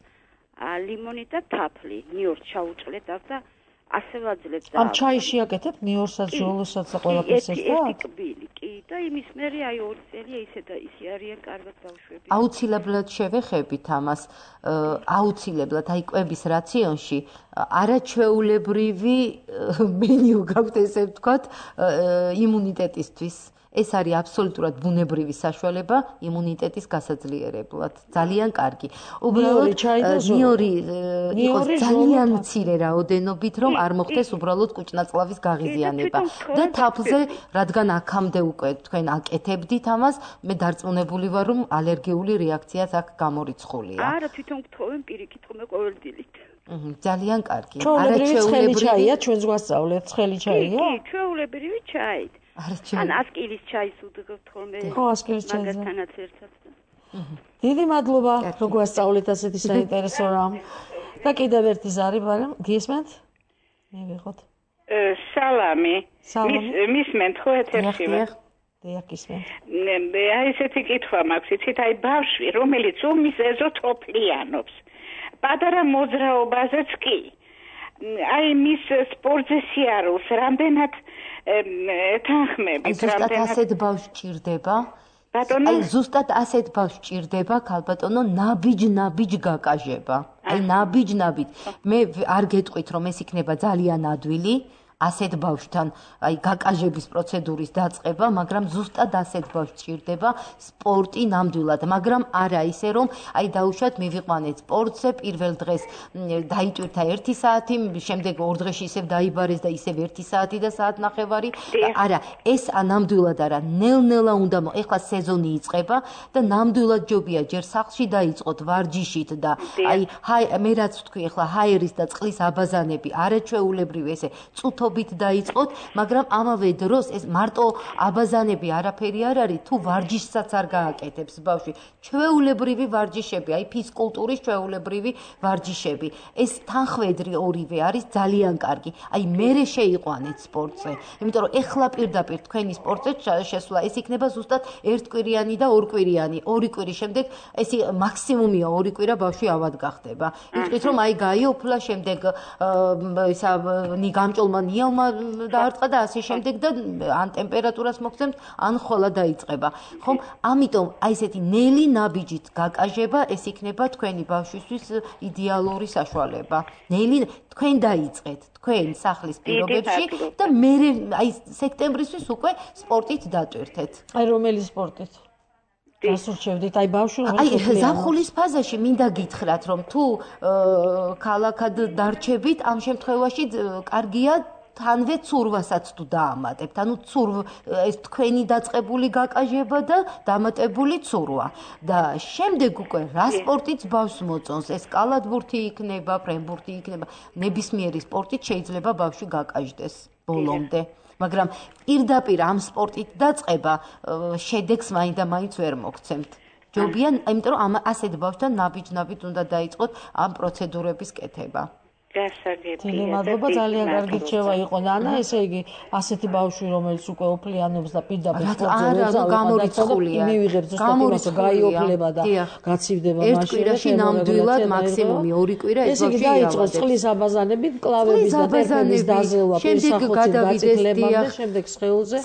ლიმონი და თაფლი, ნიორს ჩაუჭლეთ და ასე ვაძლევთ. ამ ჩაიში აკეთებ ნიორსაც, ჟოლოსაც და ყველაფერს ერთად? ერთი კბილი, კი, და იმის მერე აი 2 წელია ისე და ისე არიან კარგად ბავშვები. აუცილებლად შევეხებით ამას, აუცილებლად აი კვების რაციონში არაჩვეულებრივი მენიუ გაქვთ, ესე ვთქვათ, იმუნიტეტისთვის. ეს არის აბსოლუტურად ბუნებრივი საშუალება იმუნიტეტის გასაძლიერებლად. ძალიან კარგი. უბრალოდ ნიორი იყოს ძალიან მცირე რაოდენობით, რომ არ მოხდეს უბრალოდ კუჭნაწლავის გაღიზიანება. და თაფლზე, რადგან აქამდე უკვე თქვენ აკეთებდით ამას, მე დარწმუნებული ვარ, რომ ალერგიული რეაქციაც აქ გამორიცხულია. არა, თვითონ გთხოვენ პირიქით, ხოლმე ყოველ დილით. ძალიან კარგი. ჩვეულებრივი ჩაია, ჩვენს გვასწავლეთ, ცხელი ჩაია? კი, ჩვეულებრივი ჩაით. ან ასკილის ჩაის უდგებთ ხოლმე. ხო, ასკილის ჩაის. მაგათანაც ერთად. დიდი მადლობა, რომ გვასწავლეთ ასეთი საინტერესო რამ. და კიდევ ერთი ზარი, მაგრამ გისმენთ? მივიღოთ. სალამი. მისმენთ ხო ეთერში? დიახ, გისმენთ. აი ესეთი კითხვა მაქვს, იცით, აი ბავშვი, რომელიც ომის ეზოთოფლიანობს. პატარა მოძრაობაზეც კი. აი მის სპორტზე სიარულს რამდენად ეთანხმებით, რამდენად ასეთ ბავშვს ჭირდება? ბატონო, აი ზუსტად ასეთ ბავშვს ჭირდება, ქალბატონო, ნაბიჯ გაკაჟება. აი ნაბიჯ. მე არ გეტყვით, რომ ეს იქნება ძალიან ადვილი. ასეთ ბავშვთან აი გაკაჟების პროცედურის დაწყება, მაგრამ ზუსტად ასეთ ბავშვს ჭირდება სპორტი ნამდვილად, მაგრამ არა ისე რომ აი დაუშვათ მივიყვანეთ სპორტზე, პირველ დღეს დაიტვირთა 1 საათი, შემდეგ 2 დღეში ისევ დაიბარეს და ისევ 1 საათი და საათნახევარი. არა, ეს ნამდვილად არა, ნელ-ნელა უნდა ეხლა სეზონი იწყება და ნამდვილად ჯობია ჯერ სახლში დაიწყოთ ვარჯიშით და აი მე რაც ვთქვი ეხლა ჰაერის და წყლის აბაზანები არაჩვეულებრივი ესე წუთობით დაიწყოთ, მაგრამ ამავე დროს ეს მარტო აბაზანები არაფერი არ არის, თუ ვარჯიშსაც არ გააკეთებს ბავშვი. ჩვეულებრივი ვარჯიშები, აი ფიზკულტურის ჩვეულებრივი ვარჯიშები. ეს თანხwebdriver ორივე არის ძალიან კარგი. აი მერე შეიყვანეთ სპორტზე. იმიტომ რომ ეხლა პირდაპირ თქვენი სპორტზე შესვლა ეს იქნება ზუსტად ერთკვირიანი და ორკვირიანი. 2 კვირის შემდეგ ეს მაქსიმუმია 2 კვირა ბავშვი ავად გახდება. იტყვით რომ აი გაიოფლა შემდეგ ისა გამჭოლმა ნიალმა დაარტყა და ასე შემდეგ და ან ტემპერატურას მოგცემთ, ან ხვალა დაიწყება. ხომ? ამიტომ აი ესეთი ნელი ნაბიჯით გაკაჟება ეს იქნება თქვენი ბავშვისთვის იდეალური საშუალება. ნელი თქვენ დაიწყეთ, თქვენ სახლის პირობებში და მე აი სექტემბრისთვის უკვე სპორტით დატვირთეთ. აი რომელი სპორტით? გასურჩევდით, აი ბავშვი აი ზაფხულის ფაზაში მინდა გითხრათ, რომ თუ ქალაქად დარჩებით, ამ შემთხვევაში კარგია თანვე ცურვასაც თუ დაამატებთ. ანუ ეს თქვენი დაწყებული გაკაჟება და დამატებული ცურვა. და შემდეგ უკვე რა სპორტიც ბავშვს მოწონს, ეს კალათბურთი იქნება, ფრენბურთი იქნება, ნებისმიერი სპორტით შეიძლება ბავშვი გაკაჟდეს ბოლომდე. მაგრამ პირდაპირ ამ სპორტით დაწყება შედეგს მაინც ვერ მოგცემთ. ჯობია, იმიტომ რომ ასეთ ბავშვთან ნაბიჯ უნდა დაიწყოთ ამ პროცედურების კეთება. გასაგებია. მადლობა, ძალიან კარგი რჩევა იყო ნანა, ესე იგი ასეთი ბავშვი რომელიც უკვე ოფლიანობს და პირდაპირ სპორტზე გამორიცხულია. მივიღებს ზუსტად იმას გაიოფლება და გაცივდება მაშინ. 1 კვირაში ნამდვილად მაქსიმუმი 2 კვირა ეს ბავშვი დაიწყოს წყლის აბაზანებით, კლავების და ტერფების დაზელვა, შემდეგ გადავიდეს შემდეგ სხეულზე.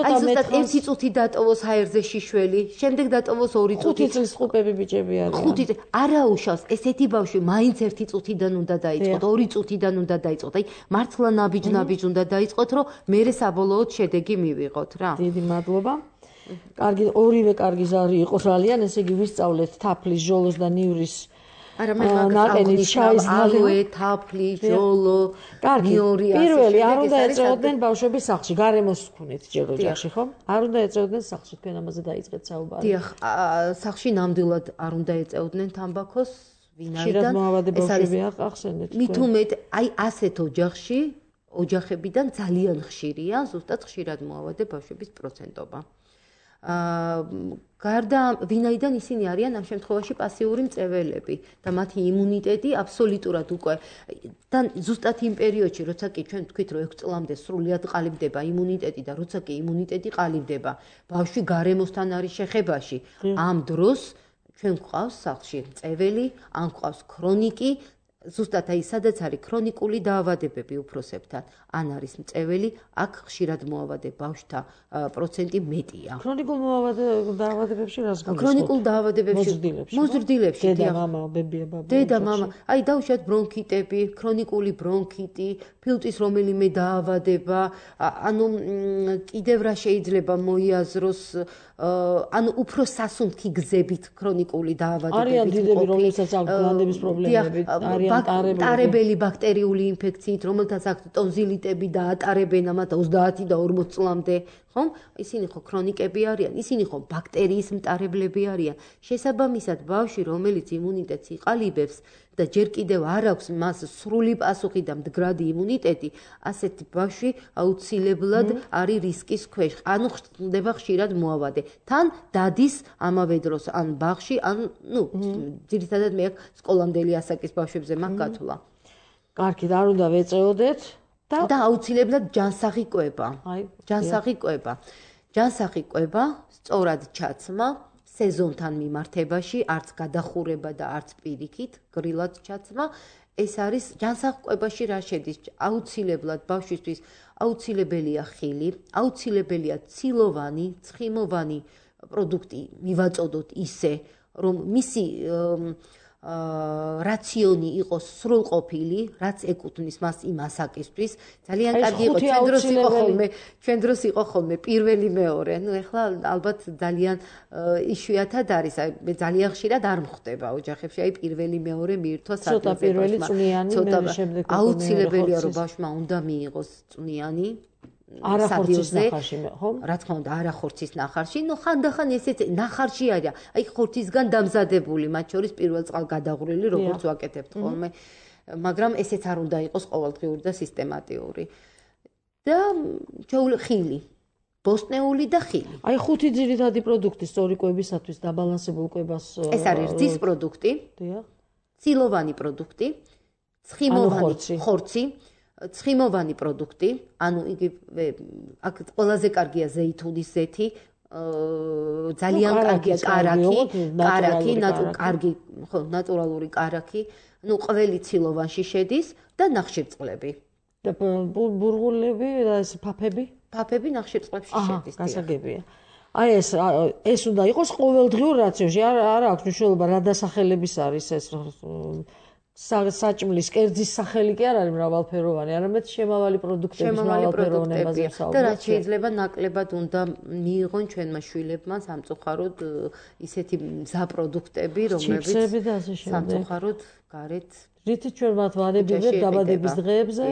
აი ზუსტად 1 წუთი დატოვოს ჰაერზე შიშველი, შემდეგ დატოვოს 2 წუთი. 5 წლის ხუპები ბიჭები არიან. 5 წელი არა უშავს, ესეთი ბავშვი მაინც 1 წუთიდან უნდა დაიწყოს. 2 წუთიდან უნდა დაიწყოთ. აი მართლა ნაბიჯ უნდა დაიწყოთ, რომ მერე საბოლოოდ შედეგი მივიღოთ რა. დიდი მადლობა. კარგი, ორივე კარგი ზარი იყო ძალიან, ესე იგი ვისწავლეთ თაფლის, ჟოლოს და ნივრის არა მე მაგას ალოე, თაფლი, ჟოლო, ნიორი ასე. პირველი არ უნდა ეწეოდნენ ბავშვები სახლში, გარემოს ვქონეთ ჯერ ოჯახში, ხო? არ უნდა ეწეოდნენ სახლში, თქვენ ამაზე დაიწყეთ საუბარი. დიახ, სახლში ნამდვილად არ უნდა ეწეოდნენ თამბაქოს. ხშირად მოავადე ბავშვები ახსენეთ. მით უმეტ აი ასეთ ოჯახებიდან ძალიან ხშირია ზუსტად ხშირად მოავადე ბავშვების პროცენტობა. გარდა ვინაიდან ისინი არიან ამ შემთხვევაში პასიური მწეველები და მათი იმუნიტეტი აბსოლუტურად უკვე და ზუსტად იმ პერიოდში, როცა კი ჩვენ თქვით, რომ 6 წლამდე სრულად ყალიბდება იმუნიტეტი და როცა კი იმუნიტეტი ყალიბდება, ბავშვი გარემოსთან არის შეხებაში. ამ დროს ჩვენ გვყავს სახლში მწეველი, ან გვყავს ქრონიკი, ზუსტად აი სადაც არის ქრონიკული დაავადებები უფროსებთან, ან არის მწეველი, აქ ხშირად მოავადე ბავშვთა პროცენტი მეტია. ქრონიკულ დაავადებებში რას გულისხმობთ? ქრონიკულ დაავადებებში მოზრდილებში. დედა, მამა, ბებია, ბაბა. დედა, მამა, აი დაუშვათ ბრონქიტები, ქრონიკული ბრონქიტი, ფილტვის რომელიმე დაავადება, ანუ კიდევ რა შეიძლება მოიაზროს ანუ უფრო სასუნთქი გზებით ქრონიკული დაავადებები. არიან დიდები, რომელსაც აქვს გლანდების პრობლემები, არიან ტარებელი ბაქტერიული ინფექციით, რომელთაც აქვს ტონზილიტები და ატარებენ ამათ 30 და 40 წლამდე, ხომ? ისინი ხო ქრონიკები არიან, ისინი ხო ბაქტერიის მტარებლები არიან. შესაბამისად, ბავშვი, რომელიც იმუნიტეტს იყალიბებს და ჯერ კიდევ არ აქვს მას სრული პასუხი და მდგრადი იმუნიტეტი, ასეთი ბავშვი აუცილებლად არის რისკის ქვეშ. ანუ ხდება ხშირად მოავადე. თან დადის ამავე დროს ან ბაღში, ან ძირითადად მე სკოლამდელი ასაკის ბავშვებზე მაქვს გათვლა. კარგი, არ უნდა ვეწეოდეთ და აუცილებლად ჯანსაღი კვება. ჯანსაღი კვება, სწორად ჩაცმა სეზონთან მიმართებაში, არც გადახურება და არც პირიქით, გრილად ჩაცმა. ეს არის ჯანსაღ კვებაში რა შედის? აუცილებლად ბავშვისთვის აუცილებელია ხილი, აუცილებელია ცილოვანი, ცხიმოვანი პროდუქტი მივაწოდოთ ისე, რომ მისი რაციონი იყოს სრულყოფილი, რაც ეკუთვნის მას იმ ასაკისთვის. ძალიან კარგი იყო ჩვენ დროს იყო ხოლმე პირველი მეორე. ნუ ეხლა ალბათ ძალიან იშვიათად არის. მე ძალიან ხშირად არ მხვდება ოჯახებში, აი პირველი მეორე მიირთვა საათზე. ცოტა პირველი წვნიანი, მე შემდეგ აუცილებელია რომ ბავშვმა უნდა მიიღოს წვნიანი. არახორცის ნახარში, ხო? რა თქმა უნდა, არახორცის ნახარში, ხანდახან ესეც ნახარში არის. აი ხორცისგან დამზადებული, მათ შორის პირველ წყალგადაღვრილი, როგორც ვაკეთებთ ხოლმე, მაგრამ ესეც არ უნდა იყოს ყოველდღიური და სისტემატიური. და ხილი, ბოსტნეული და ხილი. აი ხუთი ძირითადი პროდუქტი სწორი კვებისათვის დაბალანსებულ კვებას. ეს არის რძის პროდუქტი. დიახ. ცილოვანი პროდუქტი, ცხიმოვანი ხორცი. ცხიმოვანი პროდუქტი, ანუ იგი აქ ყველაზე კარგია ზეითუნის ზეთი, ძალიან კარგია კარაქი, ნატურალური კარაქი, ყველი ცილოვანში შედის და ნახშირწყლები. და ბურღულები და ეს ფაფები? ფაფები ნახშირწყლებში შედის. გასაგებია. აი ეს უნდა იყოს ყოველდღიურ რაციონში. არ აქვს მნიშვნელობა რა დასახელების არის ეს საჭმლის კერძის სახელი კი არ არის მრავალფეროვანი, არამედ შემავალი პროდუქტების მრავალფეროვნებაზე ვსაუბრობთ. და რაც შეიძლება ნაკლებად უნდა მიიღონ ჩვენმა შვილებმა სამწუხაროდ ისეთი მზა პროდუქტები, რომლებიც სამწუხაროდ გარეთ რითიც ჩვენ მათ ვანებივებთ დაბადების დღეებზე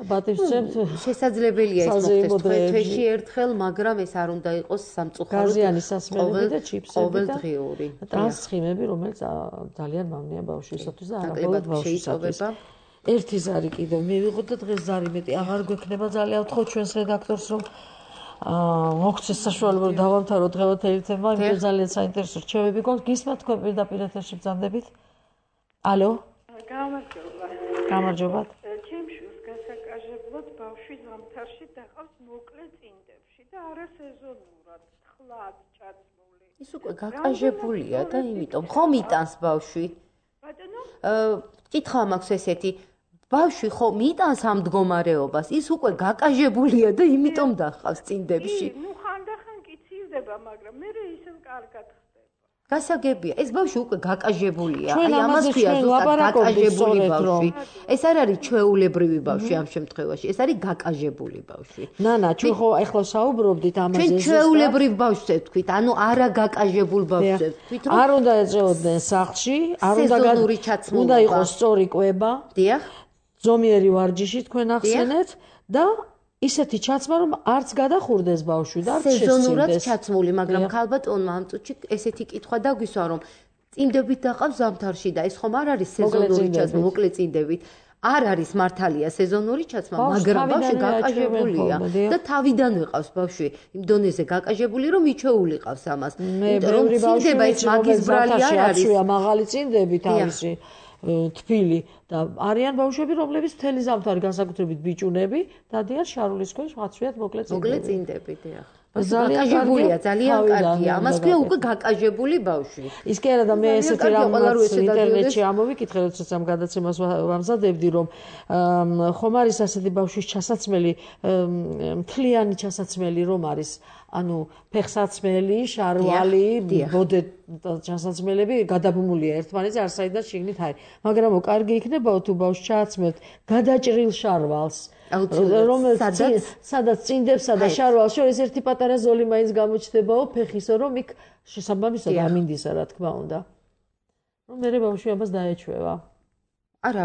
და ბატივსცემთ. შესაძლებელია ეს მოხდეს თვეში ერთხელ, მაგრამ ეს არ უნდა იყოს სამწუხაროდ გაზიანი სასმელები და ჩიპსები და ყოველდღიური. ტრანსცხიმები, რომელიც ძალიან მავნეა ბავშვისათვის და არა მხოლოდ ბავშვისათვის. ერთი ზარი კიდევ მივიღოთ და დღეს ზარი მეტი აღარ გვექნება. ძალიან ვთხოვ ჩვენს რედაქტორს, რომ მოგცეს საშუალება რომ დავამთავროთ დღევანდელი თემა, იმიტომ ძალიან საინტერესო რჩევები გვაქვს. გისმენთ თქვენ პირდაპირ ეთერში ბრძანდებით. ალო? გამარჯობა. ბავშვი ზამთარში დახავს მოკლე წინდებში და არა სეზონურად, თხლად ჩაცმული. ის უკვე გაკაჟებულია და იმიტომ ხომ იტანს ბავშვი? ბატონო? კითხვა მაქვს ესეთი, ბავშვი ხომ იტანს ამ მდგომარეობას? ის უკვე გაკაჟებულია და იმიტომ დახავს წინდებში. ნუ ხანდახან კი ცივდება, მაგრამ მე ისევ კარგად გასაგებია, ეს ბავშვი უკვე გაკაჟებულია. აი ამას ქვია ზუსტად გაკაჟებული ბავშვი. ეს არ არის ჩვეულებრივი ბავშვი ამ შემთხვევაში, ეს არის გაკაჟებული ბავშვი. ნანა, ჩვენ ხო ახლა საუბრობდით ამაზე. ჩვენ ჩვეულებრივ ბავშვზე ვთქვით, ანუ არა გაკაჟებულ ბავშვზე ვთქვით, რომ არ უნდა ეწეოდნენ სახლში, არ უნდა იყოს სწორი კვება. დიახ. ზომიერი ვარჯიში თქვენ ახსენეთ და ისეთი ჩაცმა, რომ არც გადახურდეს ბავშვი და არც შესწინდეს. სეზონურად ჩაცმული, მაგრამ ქალბატონმა ამ წუთში ესეთი კითხვა დაგვისვა, რომ წინდებით დაყავს ზამთარში და ეს ხომ არ არის სეზონური ჩაცმა, მოკლე წინდებით. არ არის მართალია სეზონური ჩაცმა, მაგრამ ბავშვი გაკაჟებულია და თავიდანვე ყავს ბავშვი იმ დონეზე გაკაჟებული, რომ მიჩეული ყავს ამას. რომ წინდება ეს მაგის ბრალი არ არის. მაღალი წინდები თავისი თბილი და არიან ბავშვები, რომლებიც მთელი ზამთარი განსაკუთრებით ბიჭუნები დადიან შარულის ქვეშ, მაცვიათ მოკლე წინდები, დიახ. გაკაჟებულია, ძალიან კარგია. ამას ქვია უკვე გაკაჟებული ბავშვი. ის კი არა და მე ესეთი რამაც ინტერნეტში ამოვიკითხე, როდესაც ამ გადაცემას ვამზადებდი, რომ ხომ არის ასეთი ბავშვის ჩასაცმელი, მთლიანი ჩასაცმელი რომ არის, ანუ ფეხსაცმელი, შარვალი, ბოდე ჩასაცმელები გადაბმულია ერთმანეთზე, არ საიდან შიგნით არის. მაგრამ კარგი იქნება თუ ბავშვს ჩააცმევთ გადაჭრილ შარვალს. სადაც წინდებსა და შარვალს შორის ერთი პატარა ზოლი მაინც გამოჩნდებაო ფეხისო, რომ იქ შესაბამისად ამინდისა, რა თქმა უნდა. რომ მერე ბავშვი ამას დაეჩვევა. არა,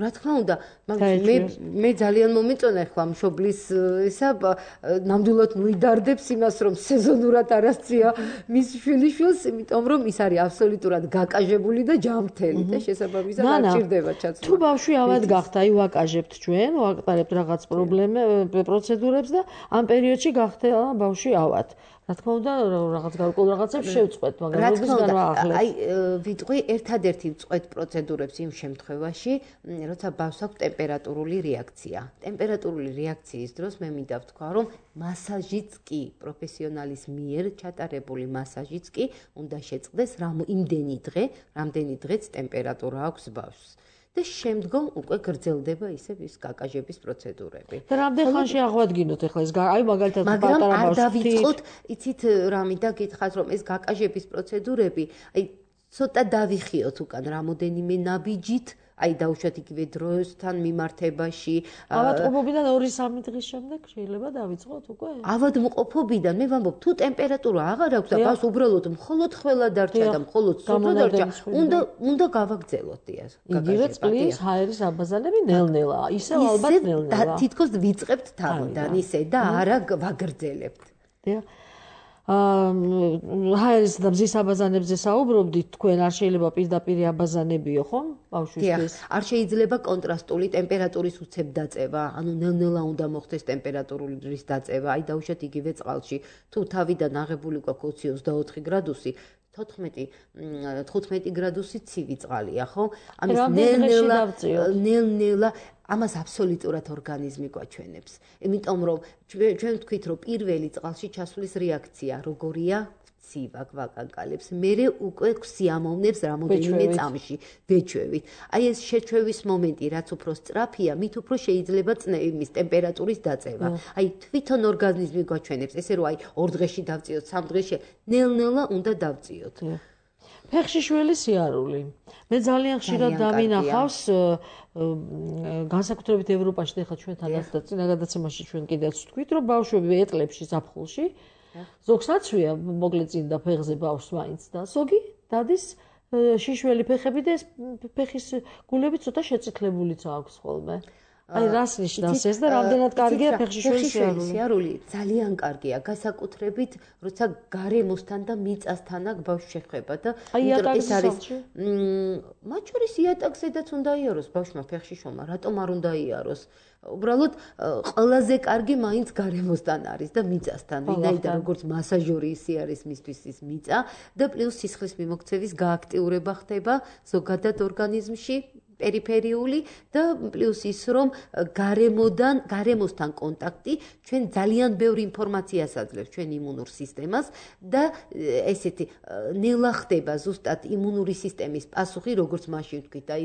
რა თქმა უნდა, მე ძალიან მომეწონა ახლა მშობლის ისა ნამდვილად მოიდარდებს იმას, რომ სეზონურად არ ასწია მის შვილიშვილს, იმიტომ რომ ის არის აბსოლუტურად გაკაჟებული და ჯანმრთელი და შესაბამისად არ ჭირდება ჩაცმა. თუ ბავშვი ავად გახდა, აი ვაკაჟებთ ჩვენ, ვაკტარებთ რაღაც პროცედურებს და ამ პერიოდში გახდა ბავშვი ავად. რა თქმა უნდა, რაღაც გარკვეულ რაღაცებს შევწყვეტ, მაგრამ როდის განვაახლეთ. აი, ვიტყვი ერთადერთი ვწყვეტ პროცედურებს იმ შემთხვევაში, როცა ბავშვს აქვს ტემპერატურული რეაქცია. ტემპერატურული რეაქციის დროს მე მინდა ვთქვა, რომ მასაჟიც კი, პროფესიონალის მიერ ჩატარებული მასაჟიც კი უნდა შეწყდეს რამდენი დღეც ტემპერატურა აქვს ბავშვს. და შემდგომ უკვე გრძელდება ისევ ის გაკაჟების პროცედურები. და რამდენ ხანში აღვადგინოთ ახლა ეს აი მაგალითად პატარა ბავშვი. მაგრამ არ დავიწყოთ, იცით რა მინდა გითხრათ, რომ ეს გაკაჟების პროცედურები, აი ცოტა დავიხიოთ უკან რამოდენიმე ნაბიჯით, აი დაუშვათ იგივე დროსთან მიმართებაში. ავადმყოფობიდან 2-3 დღის შემდეგ შეიძლება დავიწყოთ უკვე? ავადმყოფობიდან მე ვამბობ, თუ ტემპერატურა აღარ აქვს და ბავშვს უბრალოდ მხოლოდ ხველა დარჩა და მხოლოდ სურდა დარჩა, უნდა გავაგრძელოთ დიას. იგივე წყლის ჰაერის აბაზანები ნელ-ნელა, ისევ ალბათ ნელ-ნელა. თითქოს ვიწყებთ თავიდან ისე და არა ვაგრძელებთ. დიახ. ჰაერის და მზის აბაზანებზე საუბრობდით, თქვენ არ შეიძლება პირდაპირ აბაზანებიო, ხო? ბავშვისთვის. არ შეიძლება კონტრასტული ტემპერატურის უცებ დაწევა, ანუ ნელ-ნელა უნდა მოხდეს ტემპერატურის დაწევა, აი დაუშვათ იგივე წყალში. თუ თავიდან აღებული გვაქვს 24 გრადუსი, 15 გრადუსი ცივი წყალია, ხო? ამის ნელ-ნელა ამას აბსოლუტურად ორგანიზმი გვაჩვენებს. იმიტომ რომ ჩვენ ვთქვით, რომ პირველი წყალში ჩასვლის რეაქცია როგორია? ცივა გვაკაკალებს. მერე უკვე გვსიამოვნებს რამოდენიმე წამში ვეჩვევით. აი ეს შეჩვევის მომენტი, რაც უფრო სწრაფია, მით უფრო შეიძლება იმის ტემპერატურის დაწევა. აი თვითონ ორგანიზმი გვაჩვენებს, ესე რომ აი 2 დღეში დავწიოთ, 3 დღეში, ნელ-ნელა უნდა დავწიოთ. ფეხში შველი სიარული. მე ძალიან ხშირად დამინახავს განსაკუთრებით ევროპაში, ახლა ჩვენთანაც და წინა გადაცემაში ჩვენ კიდევ ვთქვით, რომ ბავშვები ეტლებში ზაფხულში ზოგს აცვია მოკლე წინ და ფეხზე ბავშვს მაინც და ზოგი დადის შიშველი ფეხები და ეს ფეხის გულები ცოტა შეწითლებულიც აქვს ხოლმე. აი რას ნიშნავს ეს და რამდენად კარგია ფეხში შველი სიარული? ძალიან კარგია, განსაკუთრებით როცა გარემოსთან და მიწასთან აქ ბავშვი შეხება და ეს არის მათ შორის იატაკზედაც უნდა იაროს ბავშვმა ფეხში შომა, რატომ არ უნდა იაროს? უბრალოდ ყველაზე კარგი მაინც გარემოსთან არის და მიწასთან, ვინაიდან როგორც მასაჟორი ისე არის მისთვის ის მიწა და პლუს სისხლის მიმოქცევის გააქტიურება ხდება ზოგადად ორგანიზმში. პერიფერიული და პლუს ის რომ გარემოსთან კონტაქტი ჩვენ ძალიან ბევრი ინფორმაციას აძლევს ჩვენ იმუნურ სისტემას და ესეთი ნელა ხდება ზუსტად იმუნური სისტემის პასუხი როგორც მაშინ ვთქვით აი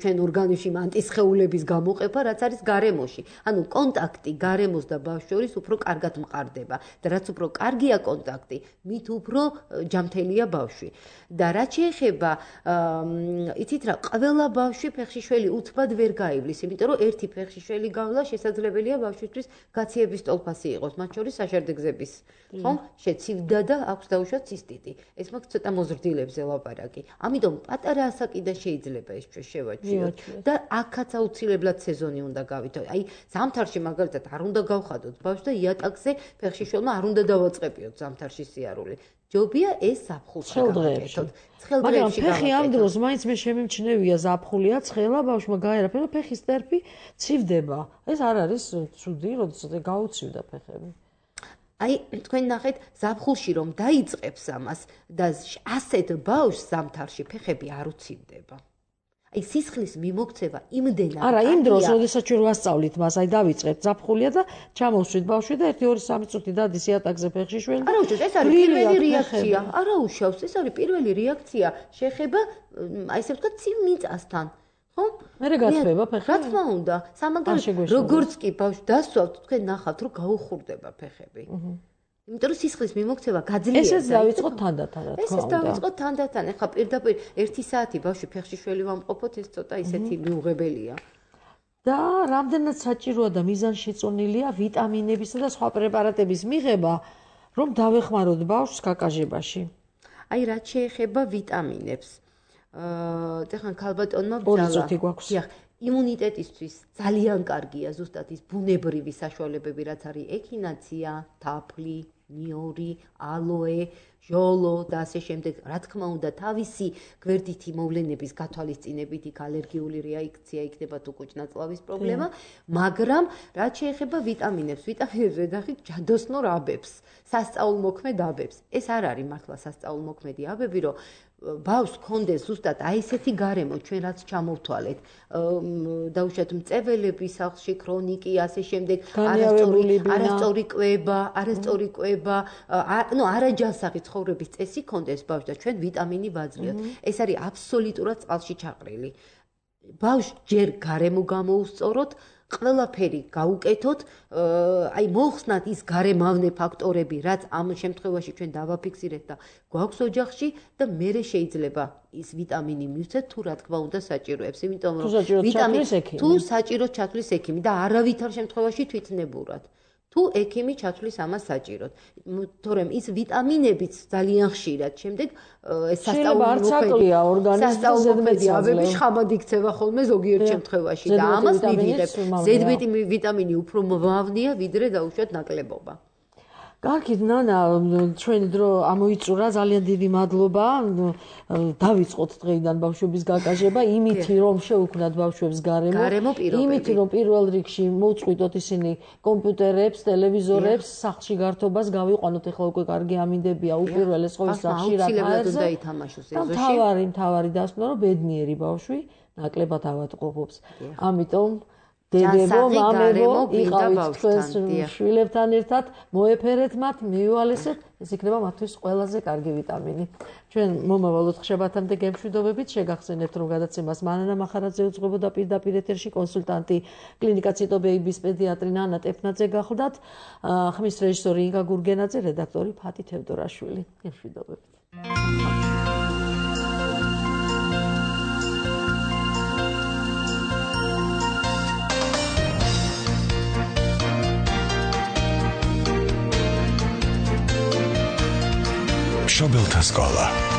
ჩვენ ორგანიზმში ანტისხეულების გამოყენება რაც არის გარემოში ანუ კონტაქტი გარემოს და ბავშვს შორის უფრო კარგად მყარდება და რაც უფრო კარგია კონტაქტი მით უფრო ჯანმრთელია ბავშვი და რაც შეეხება იცით რა ყველა ბავშვი ფეხშიშველი უთბად ვერ გაივლის, იმიტომ რომ ერთი ფეხშიშველი გავლა შესაძლებელია ბავშვისთვის გაციების ტოლფასი იყოს, მათ შორის საშარდეგზების, ხო? შეცივდა და აქვს დაუშვათ ცისტიტი. ეს მაქვს ცოტა მოზრდილებზე ლაპარაკი. ამიტომ პატარა ასაკიდან შეიძლება ეს ჩვენ შევაჩვიოთ და აქაც აუცილებლად სეზონი უნდა გავითო. აი, ზამთარში მაგალითად არ უნდა გავხადოთ ბავშვს და იატაკზე ფეხშიშველმა არ უნდა დავაწყებიოთ ზამთარში სიარული. ჯობია ეს ზაფხულში გავაკეთოთ. მაგრამ ფეხი ამ დროს მაინც მე შემიმჩნევია ზაფხულია, ცხელა ბავშვმა გაერაფა და ფეხის წერფი ცივდება. ეს არ არის ცუდი, როდესაც გაუცივდა ფეხები. აი, თქვენ ნახეთ, ზაფხულში რომ დაიწყებს ამას და ასეთ ბავშვს ზამთარში ფეხები არ უცივდება. აი სისხლის მიმოქცევა იმდენად არა იმ დროს როდესაც ჩვენ ვასწავლით მას აი დავიწყებთ ზაფხულია და ჩამოვშვით ბავშვი და 1-2-3 წუთი დადის იატაკზე ფეხშიშველი არა უშავს ეს არის პირველი რეაქცია არა უშავს ეს არის პირველი რეაქცია შეხება აი ესე ვთქვათ ცივ მიწასთან ხო მე გაცვება ფეხები რა თქმა უნდა სამაგალითოდ როგორც კი ბავშვი დასვავთ თქვენ ნახავთ რომ გაუხურდება ფეხები იმიტომ რომ სისხლის მიმოქცევა გაძლიერდა. ესეც დავიწყოთ თანდათან, რა თქმა უნდა. ესეც დავიწყოთ თანდათან. ეხლა პირდაპირ 1 საათი ბავშვი ფეხშიშველი ვამყოფოთ, ეს ცოტა ისეთი მიუღებელია. და რამდენად საჭიროა და მიზანშეწონილია ვიტამინებისა და სხვა პრეპარატების მიღება, რომ დავეხმაროთ ბავშვს გაკაჟებაში. აი, რაც შეეხება ვიტამინებს. ეხლა ქალბატონმა ბრძალა. იმუნიტეტისთვის ძალიან კარგია ზუსტად ის ბუნებრივი საშუალებები, რაც არის ექინაცია, თაფლი, ნიორი, ალოე, ჟოლო და ასე შემდეგ. რა თქმა უნდა, თავისი გვერდითი მოვლენების გათვალისწინებით იქ ალერგიული რეაქცია იქნება თუ კუჭნაწლავის პრობლემა, მაგრამ რაც შეეხება ვიტამინებს, ვიტამინებს ვედახით ჯადოსნურ აბებს, სასწაულმოქმედ აბებს. ეს არ არის მართლა სასწაულმოქმედი აბები, რომ ბავშვს კონდეს ზუსტად აი ესეთი გარემო ჩვენ რაც ჩამოვთვალეთ დაუშვათ მწებელების სახლში ქრონიკი ასე შემდეგ არასწორი კვება ნუ არაჯანსაღი ცხოვრების წესი კონდეს ბავშვს და ჩვენ ვიტამინი ვაძლევთ ეს არის აბსოლუტურად წყალში ჩაყრილი ბავშვს ჯერ გარემო გამოუსწოროთ ყველაფერი გაუკეთოთ, აი მოხსნათ ის გარემავნე ფაქტორები, რაც ამ შემთხვევაში ჩვენ დავაფიქსირეთ და გვაქვს ოჯახში და მერე შეიძლება ის ვიტამინი მივცეთ თუ რა თქმა უნდა საჭიროებს, იმიტომ რომ ვიტამინი თუ საჭიროდ ჩათვლის ექიმი და არავითარ შემთხვევაში თვითნებურად. თუ ექიმი ჩათვლის ამას საჭიროდ. თორემ ის ვიტამინებიც ძალიან ხშირად შემდეგ ეს სასწაულმოქმედი აბები შხამად იქცევა ხოლმე ზოგიერთ შემთხვევაში და ამას მივიღებ. ზედმეტი ვიტამინი უფრო მომავნია ვიდრე დაუშვათ ნაკლებობა. კარგით, ნანა, ჩვენი დრო ამოიწურა, ძალიან დიდი მადლობა. დავიწყოთ დღეიდან ბავშვების გაკაჟება, იმითი რომ შევქმნათ ბავშვებს გარემო, იმითი რომ პირველ რიგში მოუწყვიტოთ ისინი კომპიუტერებს, ტელევიზორებს, სახლში გართობას გავიყვანოთ, ეხლა უკვე კარგი ამინდებია უპირველეს ყოვლისა ხშირად აერზე. თავარი დასკვნა რომ ბედნიერი ბავშვი ნაკლებად ავადმყოფობს. ამიტომ დედებო, მამებო, იყავით თქვენს შვილებთან ერთად, მოეფერეთ მათ, მიუალესეთ, ეს იქნება მათთვის ყველაზე კარგი ვიტამინი. ჩვენ მომავალ ოთხშაბათამდე გემშვიდობებით, შეგახსენებთ, რომ გადაცემას მანანა მახარაძე უძღვებოდა პირდაპირ ეთერში კონსულტანტი კლინიკა ციტობეიბის პედიატრი ნანა ტეფნაძე გახლდათ, ხმის რეჟისორი ინგა გურგენაძე, რედაქტორი ფათი თევდორაშვილი. გემშვიდობებით. Шобелта Скола.